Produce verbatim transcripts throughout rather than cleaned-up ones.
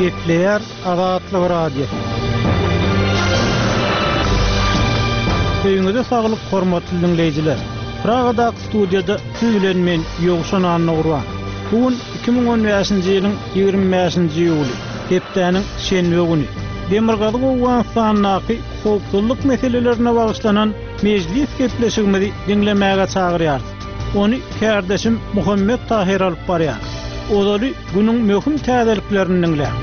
Gepleýär Azatlyk Radiosy. Öýüňize saglyk hormatly dinleýjiler. Pragadaky studiýada siz bilen men Ýowşan Annagurban. Bu gün iki müň on bäşinji ýylyň ýigrimi bäşinji iýuly, hepdäniň şenbe güni. Demirgazyk Owganystandaky howpsuzlyk meselelerine bagyşlanan mejlis gepleşigimizi diňlemäge çagyrýarys. Ony kärdeşim Muhammet Tahir alyp barýar. Ozaly günüň möhüm täzeliklerini diňläň.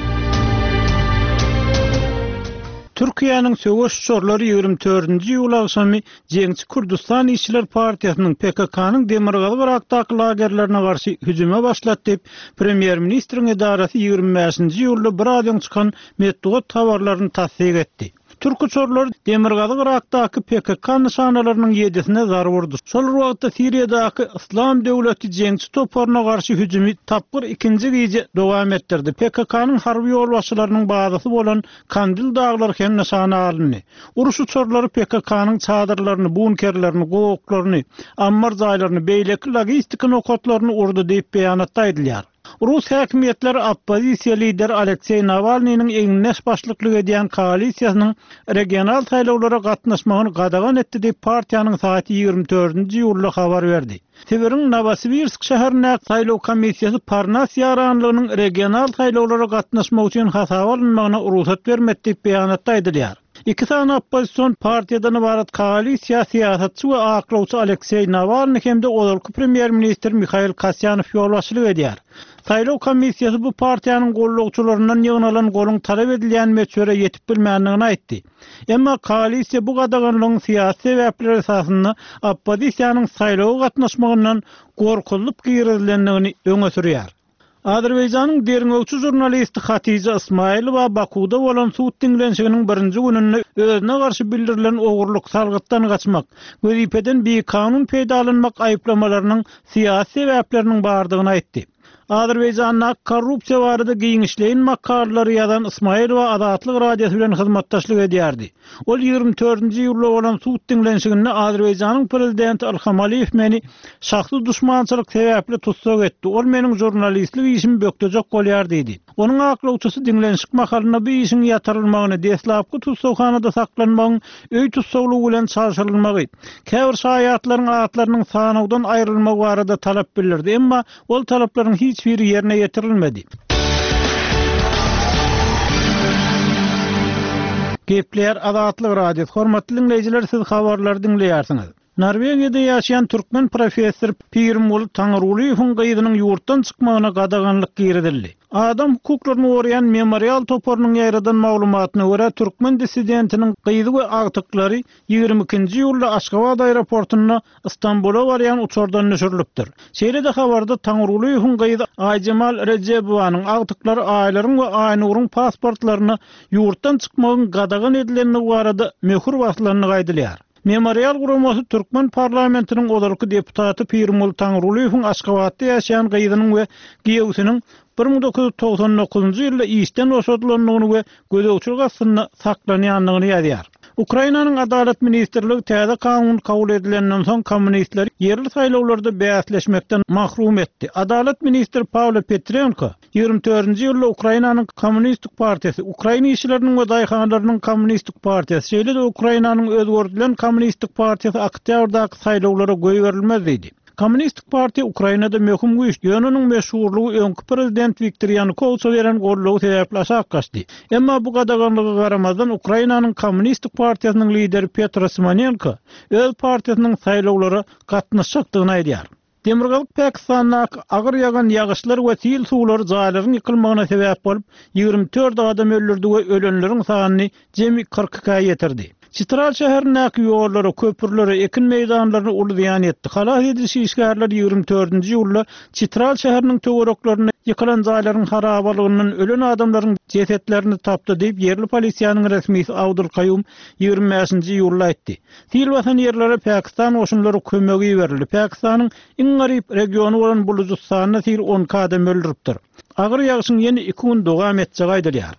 Türkiýäniň söweş uçarlary ýigrimi dördünji iýul agşamy Jeňçi Kürdistan Işçiler Partiýasynyň P K K-nyň Demirgazyk Yrakdaky lagerlerine garşy hüjüme başlatdy diýip, Premýer-ministriň edarasy ýigrimi bäşinji iýulda bir az öň çykan metbugat habarlaryny tassyk etdi. Türk uçarlary Demirgazyk Yrakdaky P K K nyşanalarynyň ýedisine zarba urdy. Şol bir wagtda Siriýadaky Yslam döwleti jeňçi toparyna garşy hüjümi tapgyr ikinji gije dowam etdirdi. P K K-nyň harby ýolbaşçylarynyň bazasy bolan Kandil daglary hem nyşana alyndy. Uruş uçarlary P K K-nyň çadyrlaryny, bunkerlerini, gowaklaryny, ammar jaýlaryny, beýleki logistika nokatlaryny urdy diýip beýanatda aýdylýar. Rus häkimiýetleri oppozisiýa lideri Alekseý Nawalnynyň egindeş başlyklyk edýän koalisiýasynyň regional saýlawlara gatnaşmagyny gadagan etdi diýip partiýanyň saýty ýigrimi dördünji iýulda habar berdi. Sibiriň Nowosibirsk şäherindäki saýlaw komissiýasy Parnas ýaranlygynyň regional saýlawlara gatnaşmak üçin hasaba alynmagyna rugsat bermedi diýip beýanatda aýdylýar. Iki sany oppozision partiýadan ybarat koalisiýa syýasatçy we aklawçy Alekseý Nawalny hem-de ozalky premýer-ministr Mihail Kasýanow ýolbaşçylyk edýär. Saýlaw komissiýasy bu partiýanyň gollagçylaryndan ýygnalan goluň talap edilýän möçbere ýetip bilmändigini aýtdy. Emma koalisiýa bu gadaganlygyň syýasy sebäpler esasynda oppozisiýanyň saýlawa gatnaşmagyndan gorkulyp girizilendigini öňe sürýär. Azerbaýjanyň derňewçi žurnalisti Hatija Ismailova Bakuda bolan sud diňlenişiginiň birinji gününde özüne garşy bildirilen ogurlyk, salgytdan gaçmak, wezipeden bikanun peýdalanmak aýyplamalarynyň syýasy sebäpleriniň bardygyny aýtdy. Azerbaýjanda korrupsiýa barada giňişleýin makalalary ýazan Ismailova Azatlyk Radiosy bilen hyzmatdaşlyk edýärdi. Ol ýigrimi dördünji iýulda bolan sud diňlenişiginde Azerbaýjanyň prezidenti Ilham Aliýew meni şahsy duşmançylyk sebäpli tussag etdi. Ol meniň žurnalistlik işimi bökdejek bolýar diýdi. Onuň aklawçysy diňlenişik mahalynda bu işiň ýatyrylmagyny, deslapky tussaghanada saklanmagyň öý tussaglygy bilen çalşyrylmagy, käbir şaýatlaryň atlarynyň sanawdan aýrylmagy barada talap bildirdi. Emma ol talaplaryň hiç biri ýerine ýetirilmedi. Gepleýär Azatlyk Radiosy. Hormatly dinleýjiler, siz habarlary diňleýärsiňiz. Norwegiýada ýaşaýan türkmen professor Pirimguly Taňrygulyýewiň gyzynyň ýurtdan çykmagyna gadaganlyk girizildi. Adam hukuklaryny goraýan memorial toparynyň ýaýradan maglumatyna görä türkmen dissidentiniň gyzy we agtyklary ýigrimi ikinji iýulda Aşgabat aeroportunda Istanbula barýan uçardan düşürilipdir. Şeýle-de habarda Taňrygulyýewiň gyzy Aýjemal Rejebowanyň agtyklary Aýlaryň we Aýnuryň pasportlaryna ýurtdan çykmagyň gadagan edilendigi barada möhür basylandygy aýdylýar. Memorial guramasy Türkmen parlamentiniň ozalky deputaty Pirimguly Taňrygulyýewiň Aşgabatda ýaşaýan gyzynyň we giýewsiniň bir müň dokuz ýüz togsan dokuzynjy ýylda işden boşadylandygyny we gözegçilik astynda saklanýandygyny ýazýar. Ukrainanyň Adalat ministrligi täze kanun kabul edilenden soň kommunistleri ýerli saýlawlarda bäsleşmekden mahrum etdi. Adalat ministri Pawlo Petrenko ýigrimi dördünji ýylda Ukrainanyň Kommunistik partiýasy, Ukraina işçileriniň we daýhanlarynyň Kommunistik partiýasy, şeýle-de Ukrainanyň özgerdilen Kommunistik partiýasy oktýabrdaky saýlawlara goýberilmez diýdi. Kommunistik partiýa Ukrainada möhüm güýç, ýöne onuň meşhurlygy öňki prezident Wiktor Ýanukowiçe beren goldawy sebäpli aşak gaçdy. Emma bu gadaganlyga garamazdan Ukrainanyň Kommunistik partiýasynyň lideri Petro Simonenko öz partiýasynyň saýlawlara gatnaşjakdygyny aýdýar. Demirgazyk Pakistandaky agyr ýagan ýagyşlar we sil suwlary jaýlaryň ýykylmagyna sebäp bolup, ýigrimi dört adam öldürdi we ölenleriň sanyny jemi kyrk ikä ýetirdi. Çitral şäherindäki ýollara, köprülere, ekin meýdanlaryna uly zyýan ýetdi. Halas ediş işgärleri ýigrimi dördünji iýulda Çitral şäheriniň töwereklerinde ýykylan jaýlaryň harabalygyndan ölen adamlaryň jesetlerini tapdy diýip ýerli polisiýanyň resmisi Abdul Kaýum ýigrimi bäşinji iýulda aýtdy. Sil basan ýerlere Pakistan goşunlary kömegi iberildi. Pakistanyň iň garyp regiony bolan Bulujystanda sil on iki adam öldüripdir. Agyr ýagşyň ýene iki gün dowam etjegi aýdylýar.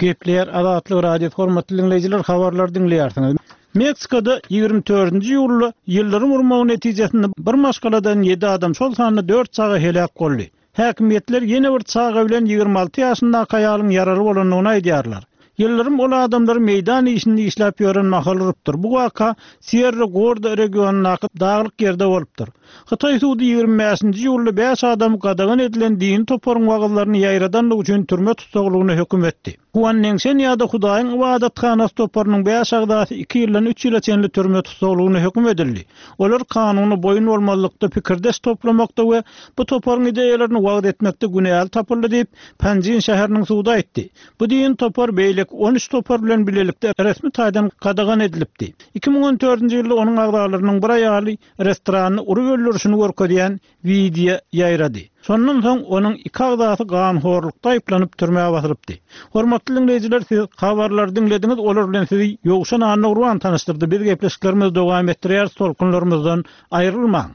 Gepleýär Azatlyk Radiosy, hormatly dinleýjiler, habarlary diňleýärsiňiz. Meksikada ýigrimi dördünji iýulda ýyldyrym urmagy netijesinde bir maşgaladan ýedi adam, şol sanda dört çaga heläk boldy. Häkimiýetler ýene bir çaga bilen ýigrimi alty ýaşyndaky aýalyň ýaraly bolandygyny aýdýarlar. Ýyldyrym ol adamlary meýdan işinde işläp ýören mahal urupdyr. Bu waka Sierra Gorda regionyndaky daglyk ýerde bolupdyr. Hytaý sudy ýigrimi bäşinji iýulda bäş adam gadagan edilen dini toparyň wagyzlaryny ýaýradanlygy üçin türme tussaglygyna höküm etdi. Huan Nengşen ýa-da Hudaýyň ybadathanasy toparynyň bäş agzasy iki ýyldan üç ýyla çenli türme tussaglygyna höküm edildi. Olar kanuna boýun bolmazlykda, pikirdeş toplamakda we bu toparyň ideýalaryny wagyz etmekde günäli tapyldy diýip, Panjin şäheriniň sudy aýtdy. Bu dini topar beýleki on üç topar bilen bilelikde resmi taýdan gadagan edilipdi. Iki müň on dördünji ýylda onuň agzalarynyň bir aýaly restorany urup öldürişini görkezýän wideo ýaýrady. Şondan soň onuň iki agzasy ganhorlukda aýyplanyp türmä basylypdy. Hormatly dinleýjiler, siz habarlary diňlediňiz, olar bilen sizi Ýowşan Annagurban tanyşdyrdy. Biz gepleşiklerimizi dowam etdirýäris, tolkunlarymyzdan aýrylmaň.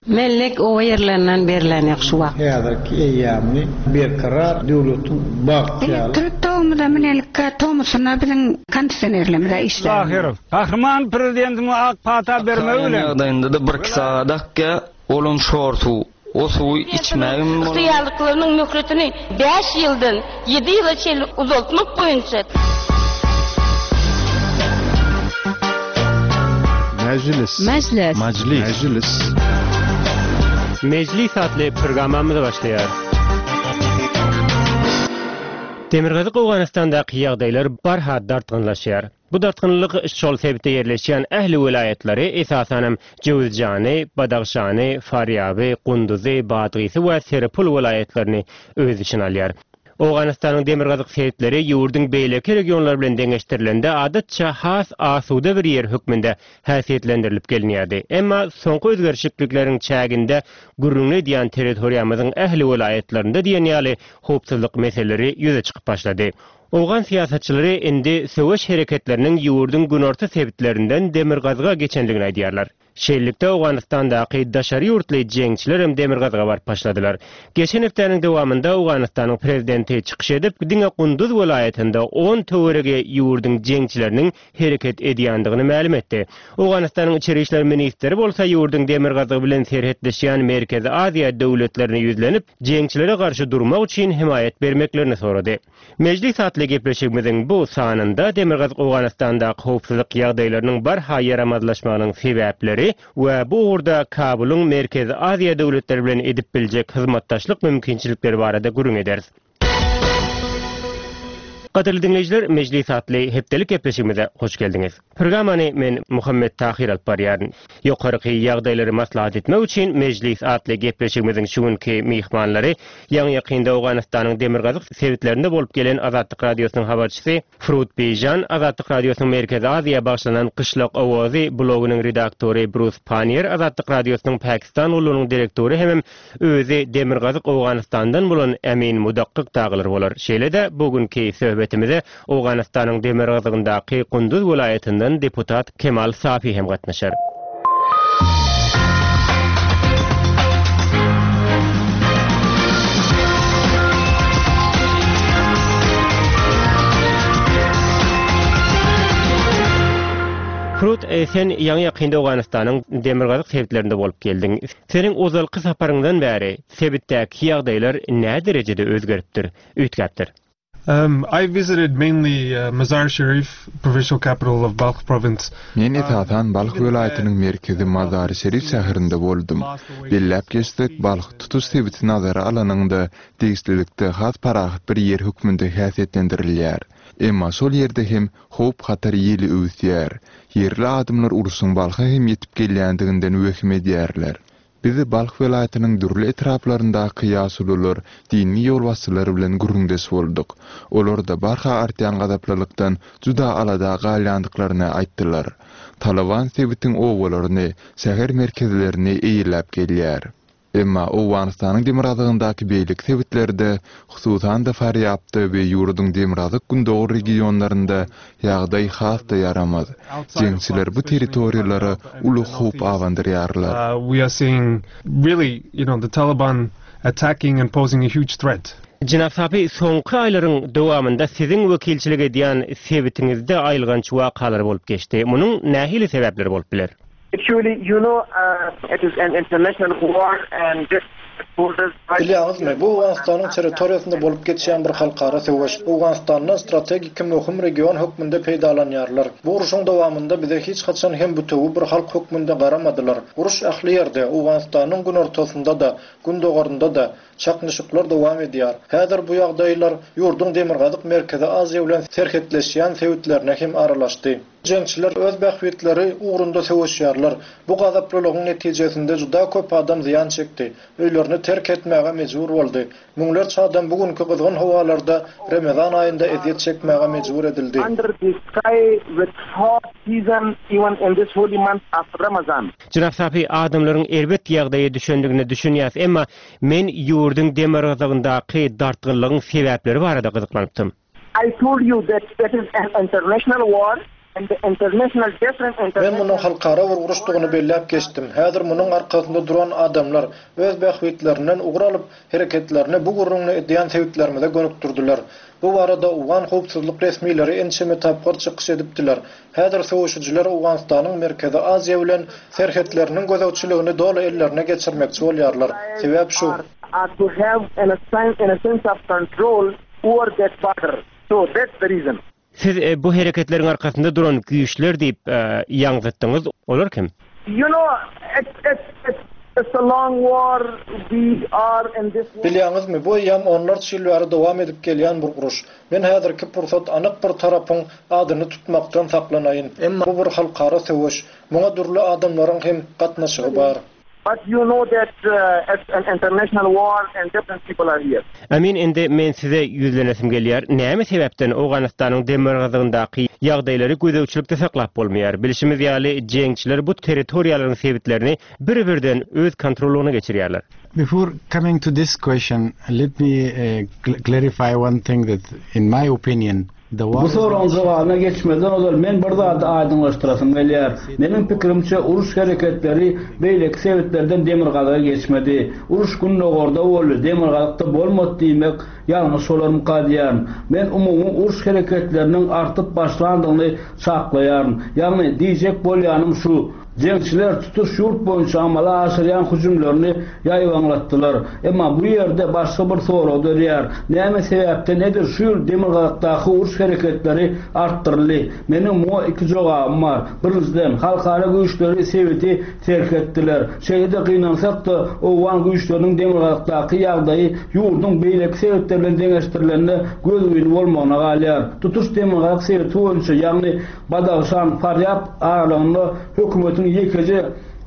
Mellek oba ýerlerinden berlen ýok şu wagt. Häzirki eýýamyny berkarar döwletiň bagtýarly. Elektrik togumyza minelikka tomusuna biziň kondisionerlerimize işler. Zahirow, Gahryman prezidentimiz ak pata bermegi bilen. Ýagdaýynda-da bir iki sagat akýa, olam şor suw. O suwy içmägim bolar. Ygtyýarlyklarynyň möhletini bäş ýyldan ýedi ýyla çenli uzaltmak boýunça. Mejlis. Mejlis. Mejlis. Mejlis. Mejlis atly programmamyz başlaýar. Demirgazyk Owganystandaky ýagdaýlar barha dartgynlaşýar. Bu dartgynlyk şol sebitde ýerleşýän ähli welaýatlary, esasanam Jöwüzjany, Badagşany, Farýaby, Gunduzy, Badgysy we Seripul welaýatlaryny öz içine alýar. Owganystanyň demirgazyk sebitleri ýurduň beýleki regionlary bilen deňeşdirilende adatça has asuda bir ýer hökmünde häsiýetlendirilip gelinýärdi. Emma soňky özgerişlikleriň çäginde gürrüňli edýän territoriýamyzyň ähli welaýatlarynda diýen ýaly howpsuzlyk meseleleri ýüze çykyp başlady. Owgan syýasatçylary indi söweş hereketleriniň ýurduň günorta sebitlerinden demirgazyga geçendigini aýdýarlar. Şeýlelikde Owganystandaky daşary ýurtly jeňçiler hem demirgazyga baryp başladylar. Geçen hepdäniň dowamynda Owganystanyň prezidenti çykyş edip, diňe Gunduz welaýatynda on töweregi ýurduň jeňçileriniň hereket edýändigini mälim etdi. Owganystanyň içeri işler ministri bolsa ýurduň demirgazygy bilen serhetleşýän Merkezi Aziýa döwletlerine ýüzlenip, jeňçilere garşy durmak üçin himaýat bermeklerini sorady. Mejlis atly gepleşigimiziň bu sanynda Demirgazyk Owganystandaky howpsuzlyk ýagdaýlarynyň barha ýaramazlaşmagynyň sebäpleri we bu ugurda Kabulyň Merkezi Aziýa döwletleri bilen edip biljek hyzmatdaşlyk mümkinçilikleri barada gürrüň ederis. Gadyrly dinleýjiler, Mejlis atly hepdelik gepleşigimize hoş geldiňiz. Programmany men Muhammed Tahir alyp barýaryn. Ýokarky ýagdaýlary maslahat etmek üçin Mejlis atly gepleşigimiziň şu günki myhmanlary ýaňy ýakynda Owganystanyň demirgazyk sebitlerinde bolup gelen Azatlyk Radiosynyň habarçysy Frut Beýjan, Azatlyk Radiosynyň Merkezi Aziýa bagşlanan Gyşlak Owazy blogynyň redaktory Brus Panier, Azatlyk Radiosynyň Pakistan gullugynyň direktory hemem özi Demirgazyk Owganystandan bolan Emin Mudakkyk dagylar bolar. Şeýle-de bugünkü söhbetimize Owganystanyň demirgazygyndaky Gunduz welaýatyndan deputat Kemal Safi hem gatnaşar. Frut, e, sen ýaňy ýakynda Owganystanyň demirgazyk sebitlerinde bolup geldiň. Seniň ozalky saparyňdan bäri sebitdäki ýagdaýlar nä derejede özgeripdir, üýtgäpdir? Um, I visited mainly, uh, Mazar Sharif, provincial capital of Balkh province. Men esasan Balkh welaýatynyň merkezi Mazar Şerif şäherinde boldum. Belläp geçsek, Balkh tutuş sebiti nazara alanyňda degişlilikde has parahat bir ýer hökmünde häsiýetlendirilýär. Emma şol ýerde hem howp hatar ýeli öwüsýär. Ýerli adamlar urşuň Balkha hem ýetip gelýändiginden wehim edýärler. Bizi Balkh welaýatynyň dürli etraplaryndaky ýaşulular, dini ýolbaşçylar bilen gürrüňdeş bolduk. Olar da barha artýan gazaplylykdan juda alada galýandyklaryny aýtdylar. Taliban sebitiň owalaryny, şäher merkezlerini eýeläp gelýär. Emma Owganystanyň demirgazygyndaky beýleki sebitlerde, hususan-da Farýabda we ýurduň demirgazyk gündogar regionlarynda ýagdaý has-da ýaramaz. Jeňçiler bu territoriýalara uly howp abandyrýarlar. Uh, we are seeing really, you know, the Taliban attacking and posing a huge threat. Jenap Safi, soňky aýlaryň dowamynda siziň wekilçilik edýän sebitiňizde aýylganç wakalar bolup geçdi. Munuň nähili sebäpleri bolup biler? Actually, you know, uh, it is an international war and this borders Bilýäňizmi, bu Owganystanyň territoriýasynda bolup geçýän bir halkara söweş. Owganystandan strategik möhüm region hökmünde peýdalanýarlar. Bu uruşyň dowamynda bize hiç haçan hem bütewi bir halk hökmünde garamadylar. Uruş ähli ýerde, Owganystanyň günortasynda-da, gündogarynda-da çaknyşyklar dowam edýär. Häzir bu ýagdaýlar ýurduň Demirgazyk Merkezi Aziýa bilen serhetleşýän sebitlerine hem aralaşdy. Jeňçiler öz bähbitleri ugrunda söweşýärler. Bu gazaplylygyň netijesinde juda köp adam zyýan çekdi. Öýlerini terk etmäge mejbur boldy. Müňlerçe adam bu günki gyzgyn howalarda Ramazan aýynda ezýet çekmäge mejbur edildi. under the sky with hot season even in this holy month of Ramazan. Jenap Safi, adamlaryň erbet ýagdaýa düşendigine düşünýäs, emma men ýurduň demirgazygyndaky dartgynlygyň sebäpleri barada gyzyklanypdym. I told you that it is an international war and the international different Men international munuň halkara bir uruşdygyny belläp geçdim. Häzir munuň arkasynda duran adamlar öz bähbitlerinden ugur alyp hereketlerini bu gürrüňini edýän sebitlerimize gönükdirdiler. Bu barada Owgan howpsuzlyk resmileri ençeme tapgyr çykyş edipdiler. Häzir söweşijiler Owganystanyň Merkezi Aziýa bilen serhetleriniň gözegçiligini doly ellerine geçirmekçi bolýarlar. Sebäp şu. are to have an, a, sense, an a sense of control over that border. So that's the reason. Siz e, bu hereketleriň arkasynda duran güýçler diýip e, ýaňzytdyňyz, olar kim? You know, it's, it's, it's, it's a long war. We are in this war. Bilýäňizmi, bu eýýäm onlarça ýyl bäri dowam edip gelýän bir uruş. Men häzirki pursat anyk bir tarapyň adyny tutmakdan saklanaýyn. Emma bu bir halkara söweş. Muňa dürli adamlaryň hem gatnaşygy bar. But you know that uh, it's an international war and different people are here. Amin, indi men size ýüzlenesim gelýär. Näme sebäpden Owganystanyň demirgazygyndaky ýagdaýlary gözegçilikde saklap bolmaýar? Bilşimiz ýaly, jeňçiler bu territoriýalaryň sebitlerini bir-birden öz kontrolyna geçirýärler. Before coming to this question, let me uh, cl- clarify one thing that, in my opinion, the war Bu soruň jogabyna geçmeden ozal men bir zady aýdyňlaşdyrasym gelýär. Meniň pikirimçe uruş hereketleri beýleki sebitlerden demirgazyga geçmedi. Uruş gündogarda boldy, demirgazykda bolmady diýmek ýalňyş bolarmyka diýýän. Men umumy uruş hereketleriniň artyp başlandygyny çaklaýaryn. Ýagny diýjek bolýanym şu, Jeňçiler tutuş ýurt boýunça amala aşyrýan hüjümlerini ýaýbaňlatdylar. Emma bu ýerde başga bir sorag dörýär. Näme sebäpden nedir şu ýyl demirgazykdaky uruş hereketleri artdyryldy? Meniň muňa iki jogabym bar. Birinjiden, halkara güýçleri sebiti terk etdiler. Şeýle gynansak-da Owgan güýçleriniň demirgazykdaky ýagdaýy ýurduň beýleki sebitleri bilen deňeşdirilende gözgyny bolmagyna galýar. Tutuş demirgazyk sebiti boýunça, ýagny Badagşan, Farýab aralygynda hökümetiň ýekeje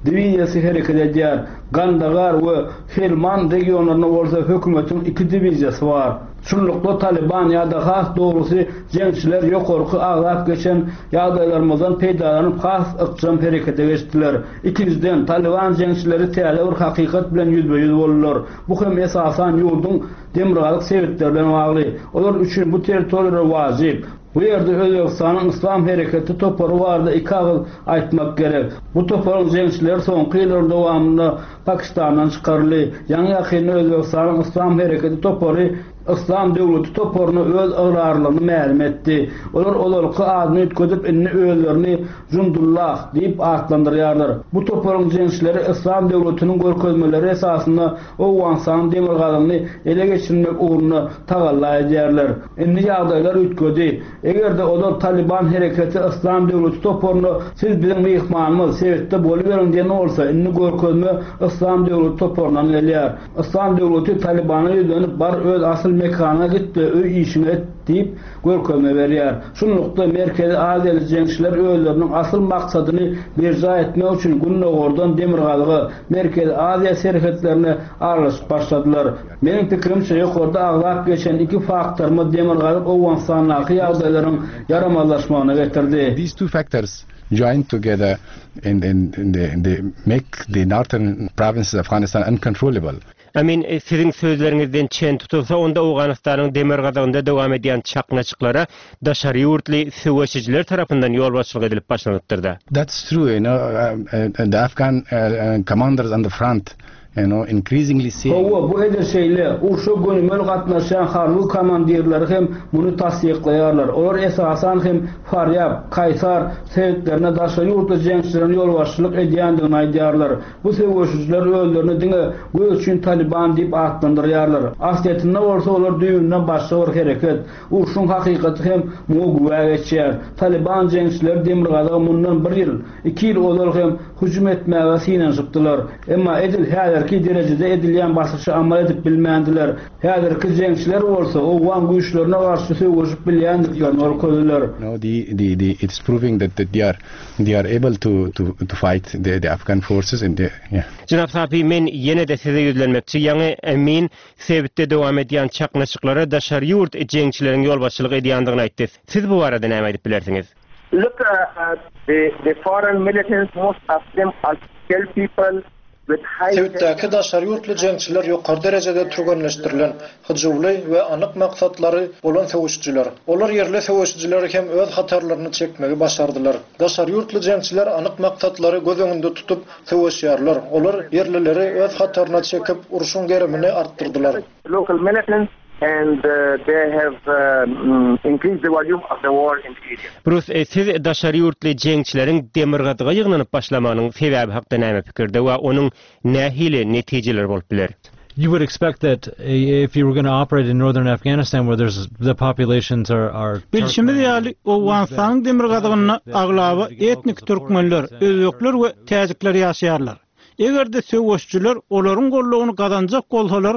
diwiziýasy hereket edýär. Gandagar we Helmand regionlarynda bolsa hökümetiň iki diwiziýasy bar. Şunlukda Taliban ýa-da has dogrusy jeňçiler ýokarky agzap geçen ýagdaýlarymyzdan peýdalanyp has ykjam herekete geçdiler. Ikinjiden, Taliban jeňçileri täze bir hakykat bilen ýüzbe-ýüz boldular. Bu hem esasan ýurduň demirgazyk sebitleri bilen bagly. Olar üçin bu territoriýalar wajyp. Bu ýerde Özbekistanyň Islam hereketi topary barada iki agyz aýtmak gerek. Bu toparyň jeňçileri soňky ýyllaryň dowamynda Pakistandan çykaryldy. Ýaňy ýakynda Özbekistanyň Islam hereketi topary Islam döwleti toparyna öz ygrarlygyny mälim etdi. Olar ozalky adyny üýtgedip indi özlerini Jundullah diýip atlandyrýarlar. Bu toparyň jeňçileri Islam döwletiniň görkezmeleri esasynda Owganystanyň demirgazygyny ele geçirmek ugrunda tagalla edýärler. Indi ýagdaýlar üýtgedi. Eger-de ozal Taliban hereketi Islam döwleti toparyna siz biziň myhmanymyz sebitde boluberiň diýen bolsa, indi görkezme Islam döwleti toparyndan gelýär. Islam döwleti Talibana ýüzlenip bar öz asyl mekanyna gitdi, öý işini et diýip görkezme berýär. Şunlukda Merkezi Aziýaly jeňçiler özleriniň asyl maksadyny berjaý etmek üçin gündogardan demirgazyga Merkezi Aziýa serhetlerine aralaşyp başladylar. Meniň pikirimçe ýokarda agzap geçen iki faktorymyz demirgazyk Owganystandaky ýagdaýlaryň ýaramazlaşmagyna getirdi. These two factors joined together in, in, in the, in the make the northern provinces of Afghanistan uncontrollable. Amin, e, siziň sözleriňizden çen tutulsa, onda Owganystanyň demirgazygynda dowam edýän çaknyşyklara daşary ýurtly söweşijiler tarapyndan ýolbaşçylyk edilip başlanypdyr-da. That's true, you know, uh, uh, the Afghan uh, uh, commanders on the front you know, increasingly seeing Hawa, bu edil şeýle. Urşa gönümel gatnaşýan harby komandirleri hem muny tassyklaýarlar. Olar esasan hem Farýab, Kaýsar sebitlerine daşary ýurtly jeňçileriň ýolbaşçylyk edýändigini aýdýarlar. Bu söweşijiler özlerini diňe göz üçin Taliban diýip atlandyrýarlar. Aslyýetinde bolsa olar düýbünden başga bir hereket. Urşuň hakykaty hem muňa güwä geçýär. Taliban jeňçileri demirgazyga mundan bir ýyl, iki ýyl ozal hem hüjüm etmäge synanyşypdylar. Emma edil häzirki derejede edilýän basyşy amal edip bilmändiler. Häzirki jeňçiler bolsa owgan güýçlerine garşy söweşip bilýändiklerini görkezdiler. No, the, the, the, it's proving that, that they are they are able to, to, to fight the, the Afghan forces and the, yeah. Jenap Safi, men ýene-de size ýüzlenmekçi, ýaňy Emin sebitde dowam edýän çaknyşyklara daşary ýurt jeňçileriň ýolbaşçylyk edýändigini aýtdy. Siz bu barada näme aýdyp bilersiňiz? Look, uh, uh, the, the foreign militants, most of them are skilled people with high Sebitdäki daşary ýurtly jeňçiler ýokary derejede türgenleşdirilen, hyjuwly we anyk maksatlary bolan söweşijiler. Olar ýerli söweşijileri hem öz hatarlaryny çekmegi başardylar. Daşary ýurtly jeňçiler anyk maksatlary göz öňünde tutup söweşýärler. Olar ýerlileri öz hataryna çekip, urşuň gerimini artdyrdylar. local militants and uh, they have uh, mm, increased the volume of the war in the area. Bruce, e, siz daşary ýurtly jeňçileriň demirgazyga ýygnanyp başlamagynyň sebäbi hakda näme pikirde we onuň nähili netijeleri bolup biler? You would expect that if you were going to operate in northern Afghanistan where there's the populations are are Bilşimiz ýaly Owganystanyň demirgazygynda aglaba etnik türkmenler, özbekler we täjikler ýaşaýarlar. Eger-de söweşçiler olaryň gollugyny gazanjak bolsalar,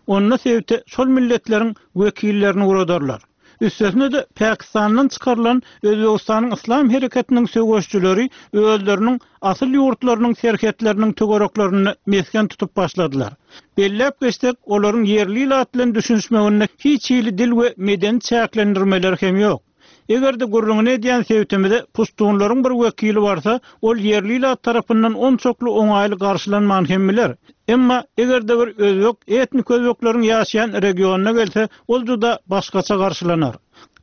onda sebite şol milletleriň wekillerini uradarlar. Üstesine de Pakistandan çykarylan Özbegistanyň Islam hereketiniň söweşçileri özleriniň asyl ýurtlarynyň serhetleriniň töwereklerini mesgen tutup başladylar. Belläp geçsek, olaryň ýerli ilat bilen düşünişmeginde hiç hili dil we medeni çäklendirmeler hem ýok. Eger-de gürrüňini edýän sebitimize puştunlaryň bir wekili barsa, ol ýerli ilat tarapyndan onçakly oňaýly garşylanman hem biler. Emma eger-de bir özbek etnik özbekleriň ýaşaýan regionyna gelse, ol juda başgaça garşylanar.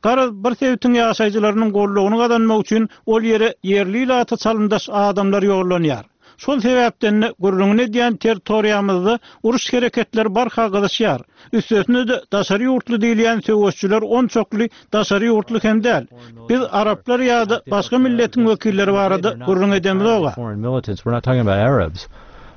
Garaz bir sebitiň ýaşaýjylarynyň gollugyny gazanmak üçin ol ýere ýerli ilata çalyndaş adamlar ýollanýar. Şol sebäpden gürrüňini edýän territoriýamyzda uruş hereketleri barha gyzyşýar. Üstesine de daşary ýurtly diýilýän söweşçiler onçakly daşary ýurtly hem däl. Biz araplar ýa-da başga milletiň wekilleri barada gürrüň edemizok. foreign militants. We're not talking about Arabs.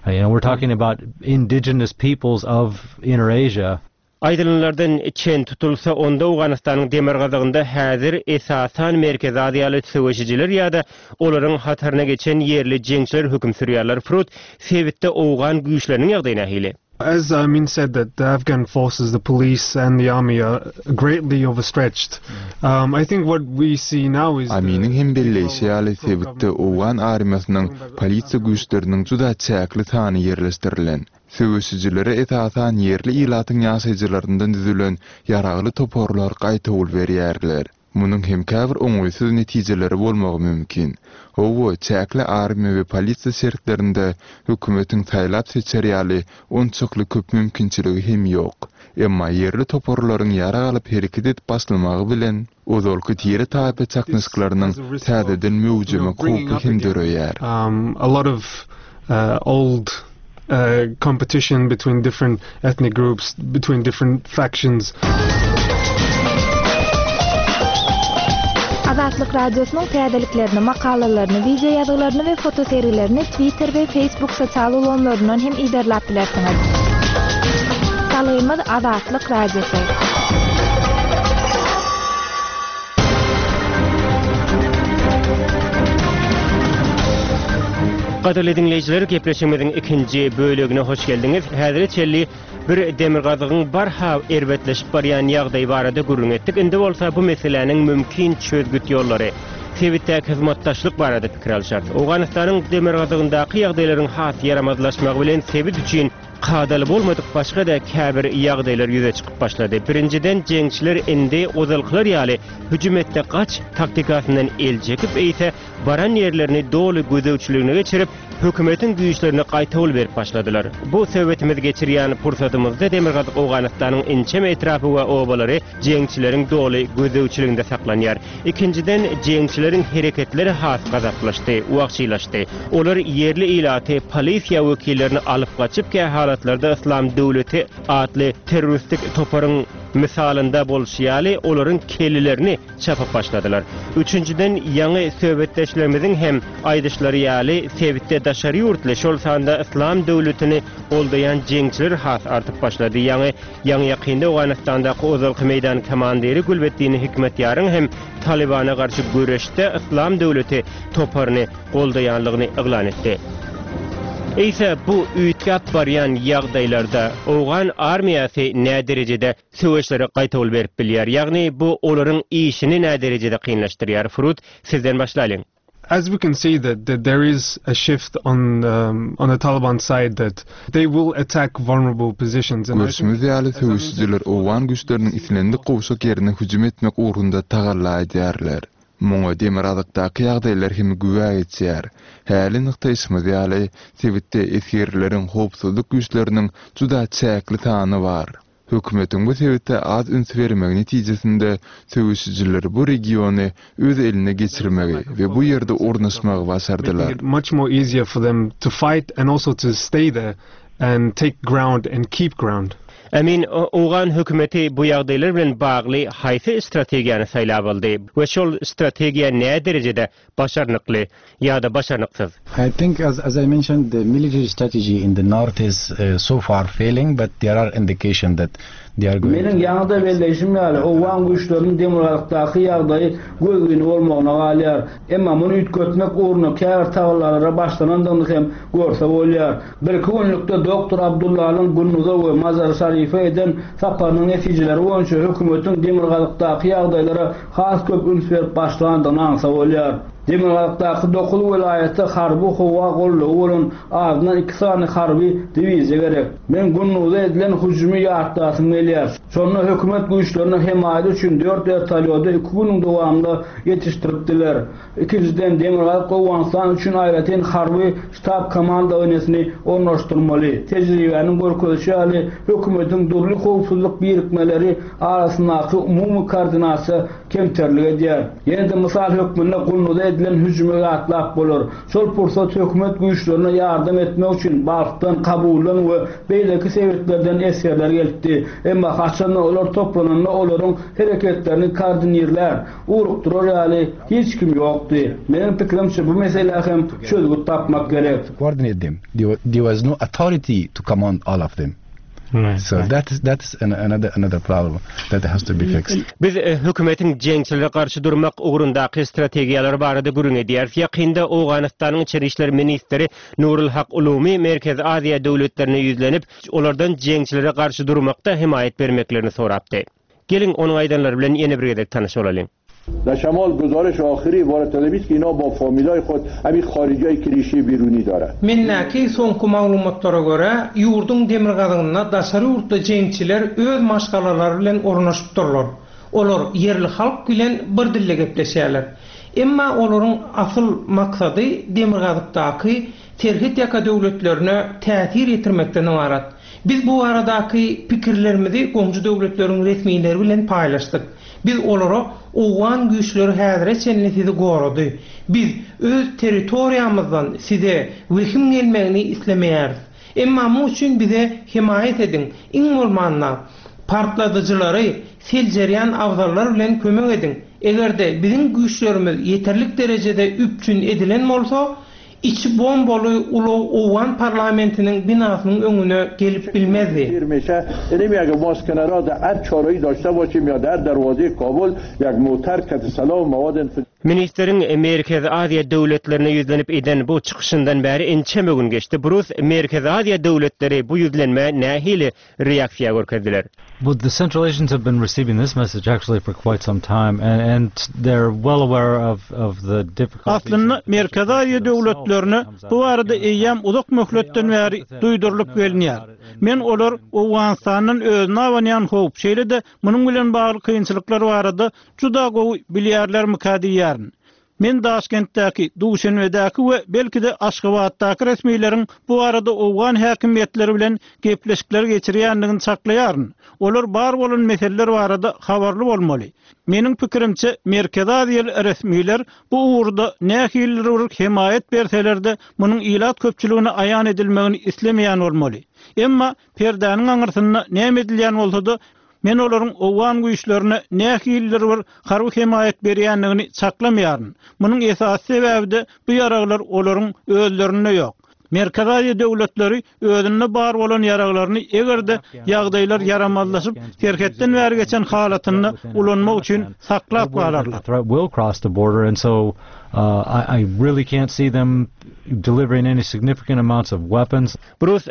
Uh, You know, we're talking about indigenous peoples of Inner Asia. Aýdylanlardan çen tutulsa, onda Owganystanyň demirgazygynda häzir esasan Merkezi Aziýaly söweşijiler ýa-da olaryň hataryna geçen ýerli jeňçiler höküm sürýärler. Frut sebitde owgan güýçleriniň ýagdaýy nähili? As Amin said, that the Afghan forces, the police and the army are greatly overstretched. Um, I think what we see now is Aminiň hem belleýşi ýaly sebitde owgan armiýasynyň polisiýa güýçleriniň juda çäkli sany ýerleşdirilen. Söweşijilere esasan ýerli ilatyň ýaşaýjylaryndan düzülen ýaragly toparlar gaýtawul berýärler. Munuň hem käbir oňaýsyz netijeleri bolmagy mümkin. Hawa, çäkli armiýa we polisiýa şertlerinde hökümetiň saýlap seçer ýaly onçakly köp mümkinçiligi hem ýok. Emma ýerli toparlaryň ýarag alyp hereket edip başlamagy bilen ozalky tire taýpa çaknyşyklarynyň täzeden möwjemek howpy hem döreýär. um, a lot of uh, old uh, competition between different ethnic groups, between different factions. Azatlyk Radiosynyň täzeliklerini, makalalaryny, wideo ýazgylaryny we fotosergilerini Twitter we Facebook sosial ulgamlaryndan hem iderläp bilersiňiz. Salgymyz Azatlyk Radiosy. Gadyrly dinleýjiler, gepleşigimiziň ikinji bölegine hoş geldiňiz. Häzir çelli bir demirgazygyň barha erbetleşip barýan ýagdaýy barada gürrüň etdik. Indi bolsa bu meseläniň mümkin çözgüt ýollary, sebitdäki hyzmatdaşlyk barada pikir alşarys. Owganystanyň demirgazygyndaky ýagdaýlaryň has ýaramazlaşmagy bilen sebit üçin Kadaly bolmadyk başga-da käbir ýagdaýlar ýüze çykyp başlady. Birinjiden jeňçiler indi ozalkylar ýaly hüjüm et-de gaç taktikasyndan el çekip, eýse baran ýerlerini doly gözegçiligine geçirip, hökümetiň güýçlerine gaýtawul berip başladylar. Bu söhbetimizi geçirýän pursatymyzda Demirgazyk Owganystanyň ençeme etrapy we obalary jeňçileriň doly gözegçiliginde saklanýar. Ikinjiden jeňçileriň hereketleri has gazaplaşdy, wagşylaşdy. Olar ýerli ilaty polisiýa wekillerini alyp gaçyp, kähalatlarda Yslam döwleti atly terroristik toparyň mysalynda bolşy ýaly olaryň kellelerini çapyp başladylar. Üçünjiden ýaňy söhbetdeşlerimiziň hem aýdyşlary ýaly sebitde daşary ýurtly şol sanda Yslam döwletini goldaýan jeňçiler has artyp başlady. Ýaňy ýaňy ýakynda Owganystandaky ozalky meýdan komandiri Gülbeddin Hikmetýaryň hem Talibana garşy göreşde Yslam döwleti toparyny goldaýanlygyny yglan etdi. Eýse bu üýtgäp barýan ýagdaýlarda Owgan armiýasy nä derejede söweşlere gaýtawul berip bilýär? Ýagny bu olaryň işini nä derejede kynlaşdyrýar? Frut sizden başlalyň. As we can see that, that there is a shift on um, on the Taliban side that they will attack vulnerable positions. And I think Görşümiz ýaly söweşijiler Owgan güýçleriniň islendik gowşak ýerine hüjüm etmek ugrunda tagalla edýärler. Muňa Demirgazykdaky ýagdaýlar hem güwä geçýär. Häli nygtaýşymyz ýaly sebitde esgerleriň howpsuzlyk güýçleriniň juda çäkli sany bar. Hökümetiň bu sebitde az üns bermegi netijesinde söweşijiler bu regiony öz eline geçirmegi we bu ýerde ornaşmagy başardylar. making it much more easier for them to fight and also to stay there and take ground and keep ground. Emin Owgan hökümeti bu ýagdaýlar bilen bagly haýsy strategiýany saýlap aldy we şol strategiýa nä derejede başarnykly ýa-da başarnyksyz? I think, as, as I mentioned, the military strategy in the north is uh, so far failing, but there are indications that they are going Meniň ýaňy-da belleýşim ýaly, Owgan güýçleriniň demirgazykdaky ýagdaýy gözgyny bolmagyna galýar. Emma muny üýtgetmek ugrunda käbir tagallalara başlanandygyny hem görse bolýar. Bir-iki günlükde Doktor Abdullanyň Gunduza we Mazar-Şarife eden saparynyň netijeleri boýunça hökümetiň demirgazykdaky ýagdaýlara has köp üns berip başlandygyny aňsa bolýar. Demirgazykdaky dokuz welaýatda harby howa goldawy bolan azyndan iki sany harby diwiziýa gerek. Men Gunduza edilen hüjümi ýatlasym gelýär. Şonda hökümet güýçlerine hemaýat üçin dört wertolýody iki günüň dowamynda ýetişdiripdiler. Ikinjiden Demirgazyk Owganystan üçin aýratyn harby ştab komandowaniýesini ornaşdyrmaly. Tejribäniň görkezişi ýaly hökümetiň dürli howpsuzlyk birikmeleri arasyndaky umumy koordinasiýa kemterlik edýär. Ýene-de mysal hökmünde Gunduza edilen hüjümi ýatlap bolar. Şol pursat hökümet güýçlerine ýardam etmek üçin Balhdan, Kabuldan we beýleki sebitlerden esgerler gelipdi. Emma haçanda olar toplananda olaryň hereketlerini koordinirlär, ugrukdyrar ýaly hiç kim ýokdy. Meniň pikirimçe bu meselä hem çözgüt tapmak gerek. coordinate them. There, wa- there was no authority to command all of them. So that is that is an, another another problem that has to be fixed. Biz e, hökümetiň jeňçilere garşy durmak ugrundaky strategiýalary barada gürrüň edýäris. Ýakynda Owganystanyň içeri işler ministri Nurul Hak Ulumi Merkezi Aziýa döwletlerine ýüzlenip, olardan jeňçilere garşy durmakda hemaýat bermeklerini sorapdy. Geliň onuň aýdanlary bilen ýene bir gezek tanyş bolalyň. در شمال گزارش آخری عبارت است که اینا با فامیلای خود همین خارجی که ریشه بیرونی داره Mendäki soňky maglumatlara görä, ýurduň demirgazygynda daşary ýurtly jeňçiler öz maşgalalary bilen ornaşypdyrlar. Olar ýerli halk bilen bir dilde gepleşýärler. Emma olaryň asyl maksady demirgazykdaky serhet ýaka döwletlerine täsir ýetirmekden ybarat. Biz bu baradaky pikirlerimizi goňşy döwletleriň resmileri bilen paýlaşdyk. Biz olara Owgan güýçleri häzire çenli sizi gorady. Biz öz territoriýamyzdan size wehim gelmegini islemeýäris. Emma muň üçin bize hemaýat ediň. Iň bolmanda partladyjylary seljerýän abzallar bilen kömek ediň. Eger-de biziň güýçlerimiz ýeterlik derejede üpjün edilen bolsa, içi bombaly ulag Owgan parlamentiniň binasynyň öňüne gelip bilmezdi. میشه یعنی اگه ما اسکنرها در هر چارایی داشته باشیم یا در دروازه کابل یک موتر که سلاح و مواد انفجاری Ministriň Merkezi Aziýa döwletlerine ýüzlenip eden bu çykyşyndan bäri ençeme gün geçdi. Brus Merkezi Aziýa döwletleri bu ýüzlenmä nähili reaksiýa görkezdiler? Well, the Central Asians have been receiving this message actually for quite some time and, and they're well aware of, of the difficulties. Aslynda Merkezi Aziýa döwletlerine bu barada eýýäm uzak möhletden bäri duýdurylyp gelinýär. Men olar Owganystandan özüne abanýan howp, şeýle-de munuň bilen bagly kynçylyklar barada juda gowy bilýärlermikä diýýärin. Men Daşkentdäki, Duşenbedäki we belki-de Aşgabatdaky resmileriň bu barada owgan häkimiýetleri bilen gepleşikler geçirýändigini çaklaýaryn. Olar bar bolan meseleler barada habarly bolmaly. Meniň pikirimçe Merkezi Aziýaly resmiler bu ugurda nähili bir hemaýat berseler-de munuň ilat köpçüligine aýan edilmegini islemeýän bolmaly. Emma perdäniň aňyrsynda näme edilýän bolsa-da men olaryň owgan güýçlerine nähili bir harby hemaýat berýändigini çaklamaýaryn. Munuň esasy sebäbi-de bu ýaraglar olaryň özlerinde ýok. Merkezi Aziýa döwletleri özünde bar bolan ýaraglaryny eger-de ýagdaýlar ýaramazlaşyp, serhetden bäri geçen halatynda ulanmak üçin saklap galarlar. The threat will cross the border and so uh, I, I really can't see them delivering any significant amounts of weapons. Brus,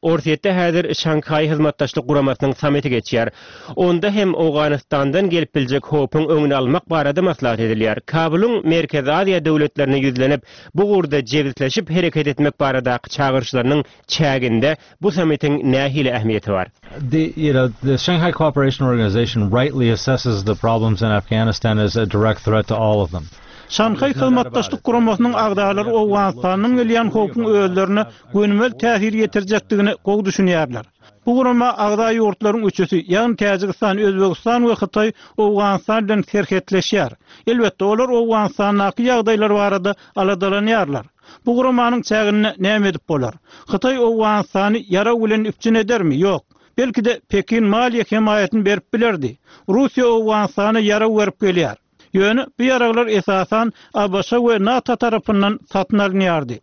Orsýetde häzir Şanhaý hyzmatdaşlyk guramasynyň sammiti geçýär. Onda hem Owganystandan gelip biljek howpuň öňüni almak barada maslahat edilýär. Kabulyň Merkezi Aziýa döwletlerine ýüzlenip, bu ugurda jebisleşip hereket etmek baradaky çagyryşlarynyň çäginde bu sammitiň nähili ähmiýeti bar? The you know the Shanghai Cooperation Organization rightly assesses the problems in Afghanistan as a direct threat to all of them. Şanhaý hyzmatdaşlyk guramasynyň agzalary Owganystandan gelýän howpuň özlerine gönümel täsir ýetirjekdigini gowy düşünýärler. Bu gurama agza ýurtlaryň üçüsi, ýagny Täjigistan, Özbegistan we Hytaý Owganystan bilen serhetleşýär. Elbetde, olar Owganystandaky ýagdaýlar barada aladalanýarlar. Bu guramanyň çäginde näme edip bolar? Hytaý Owganystany ýarag bilen üpjün edermi? Ýok. Belki-de Pekin maliýe hemaýatyny berip bilerdi. Russiýa Owganystana ýarag berip gelýär. Ýöne bu ýaraglar esasan ABŞ we NATO tarapyndan satyn alynýardy.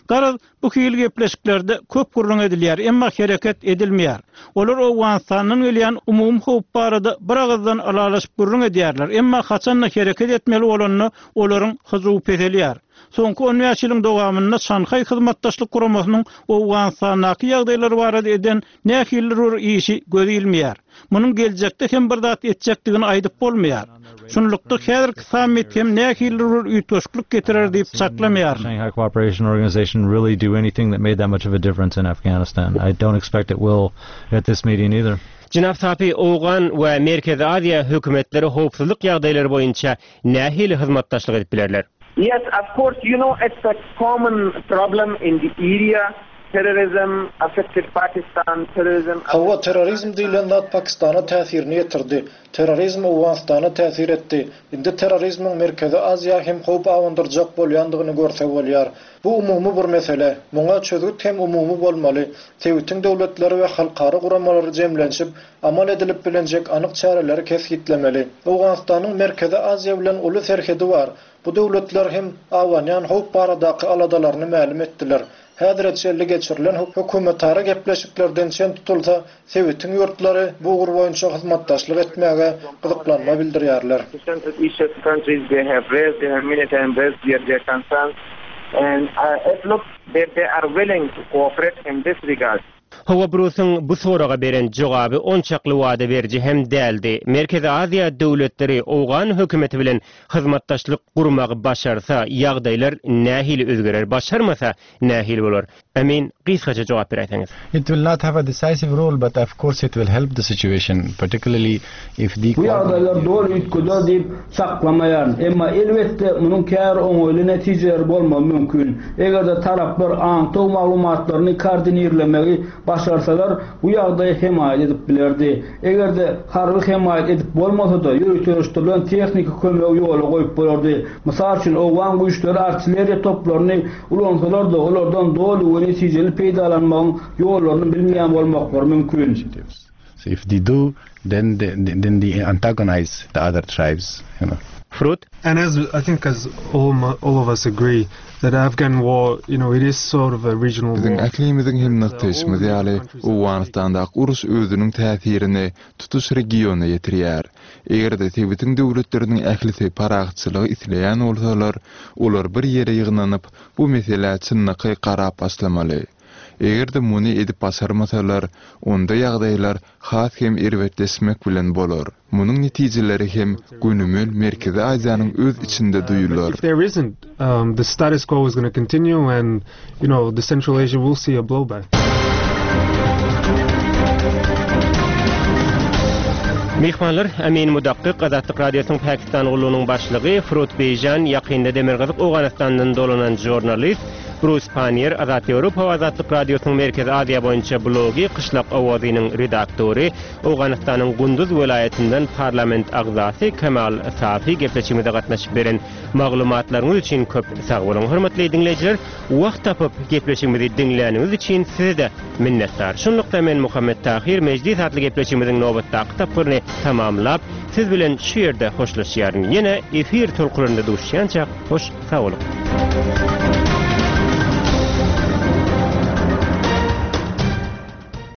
Garaz, bu hili gepleşiklerde köp gürrüň edilýär, emma hereket edilmeýär. Olar Owganystandan gelýän umumy howp barada bir agyzdan ylalaşyp gürrüň edýärler, emma haçanda hereket etmeli bolanda olaryň hyjuwy peselýär. Soňky on bäş ýylyň dowamynda Şanhaý hyzmatdaşlyk guramasynyň Owganystandaky ýagdaýlar barada eden nähili bir işi göz ilmeýär. Munuň geljekde hem bir zat etjekdigini aýdyp bolmaýar. Şunlukda häzirki sammit hem nähili bir üýtgeşiklik getirer diýip çaklamaýaryn. Shanghai Cooperation Organization really do anything that made that much of a difference in Afghanistan. I don't expect it will at this meeting either. Jenap Sapi, Owgan we Merkezi Aziýa hökümetleri howpsuzlyk ýagdaýlary boýunça nähili hyzmatdaşlyk edip bilerler? Yes, of course, you know, it's a common problem in the area. Terrorism affected Pakistan, terrorism Hawa, terrorizm diýlen zat Pakistana täsirini ýetirdi. Terrorizm Owganystana täsir etdi. Indi terrorizmiň Merkezi Aziýa hem howp abandyrjak bolýandygyny görse bolýar. Bu umumy bir mesele. Muňa çözgüt hem umumy bolmaly. Sebitiň döwletleri we halkara guramalary jemlenşip, amal edilip bilinjek anyk çäreleri kesgitlemeli. Owganystanyň Merkezi Aziýa bilen uly serhedi bar. Bu döwletler hem abanýan howp baradaky aladalaryny mälim etdiler. Häzire çenli geçirilen hökümetara gepleşiklerden çen tutulsa, sebitiň ýurtlary bu ugur boýunça hyzmatdaşlyk etmäge gyzyklanma bildirýärler. Central Asian countries, they have raised, they have many times raised their, their concerns and uh, it looks that they are willing to cooperate in this regard. Hawa Brusyň bu soraga beren jogaby onçakly wada beriji hem däldi. Merkezi Aziýa döwletleri Owgan hökümeti bilen hyzmatdaşlyk gurmagy başarsa, ýagdaýlar nähili özgerer, başarmasa nähili bolar? Emin, gysgaça jogap beräýseňiz. It will not have a decisive role, but of course it will help the situation, particularly if the Bu ýagdaýlar doly üýtgeder diýip çaklamaýaryn. Emma elbetde munuň käbir oňaýly netijeleri bolmagy mümkin. Eger-de taraplar aňtaw maglumatlaryny koordinirlemegi başarsalar, bu ýagdaý hemaýat edip bilerdi. Eger-de harby hemaýat edip bolmasa-da, ýöriteleşdirilen tehniki kömegi ýola goýup bolardy. Mysal üçin, owgan güýçleri artilleriýa toplaryny ulansalar-da, olardan doly we netijeli peýdalanmagyň ýollaryny bilmeýän bolmaklary mümkin. So if they do, then they, then they antagonize the other tribes, you know. Fruit? And as I think as all, all of us agree that Afghan war, you know, it is sort of a regional Biziň war. ählimiziň hem nygtaýşymyz ýaly, Owganystandaky uruş özüniň täsirini tutuş regiona ýetirýär. Eger-de sebitiň döwletleriniň ählisi parahatçylygy isleýän bolsalar, olar bir ýere ýygnanyp, bu meselä çynlakaý garap başlamaly. Eger-de muny edip başarmasalar, onda ýagdaýlar has hem erbetleşmek bilen bolar. Munuň netijeleri hem gönümel Merkezi Aziýanyň öz içinde duýular. If there isn't, um, the status quo is going to continue and, you know, the Central Asia will see a blowback. Myhmanlar Amin Mudakkyk Azatlyk Radiosynyň Pakistan gullugynyň başlygy Frut Beýjan ýakynda Demirgazyk Owganystandan dolanan žurnalist Brus Panier Azat Ýewropa Azatlyk Radiosynyň Merkezi Aziýa boýunça blogy Gyşlak owazynyň redaktory Owganystanyň Gunduz welaýatyndan parlament agzasy Kemal Safi gepleşigimize gatnaşyp beren maglumatlaryňyz üçin köp sag boluň. Hormatly diňleýjiler, wagt tapyp gepleşigimizi diňläniňiz üçin size minnetdar. Şunlukda men Muhammet Tahir Mejlis atly gepleşigimiziň nobatdaky tapgyryny tamamlap, siz bilen şu ýerde hoşlaşýaryn. Ýene efir tolkunlarynda duşýança hoş sag boluň.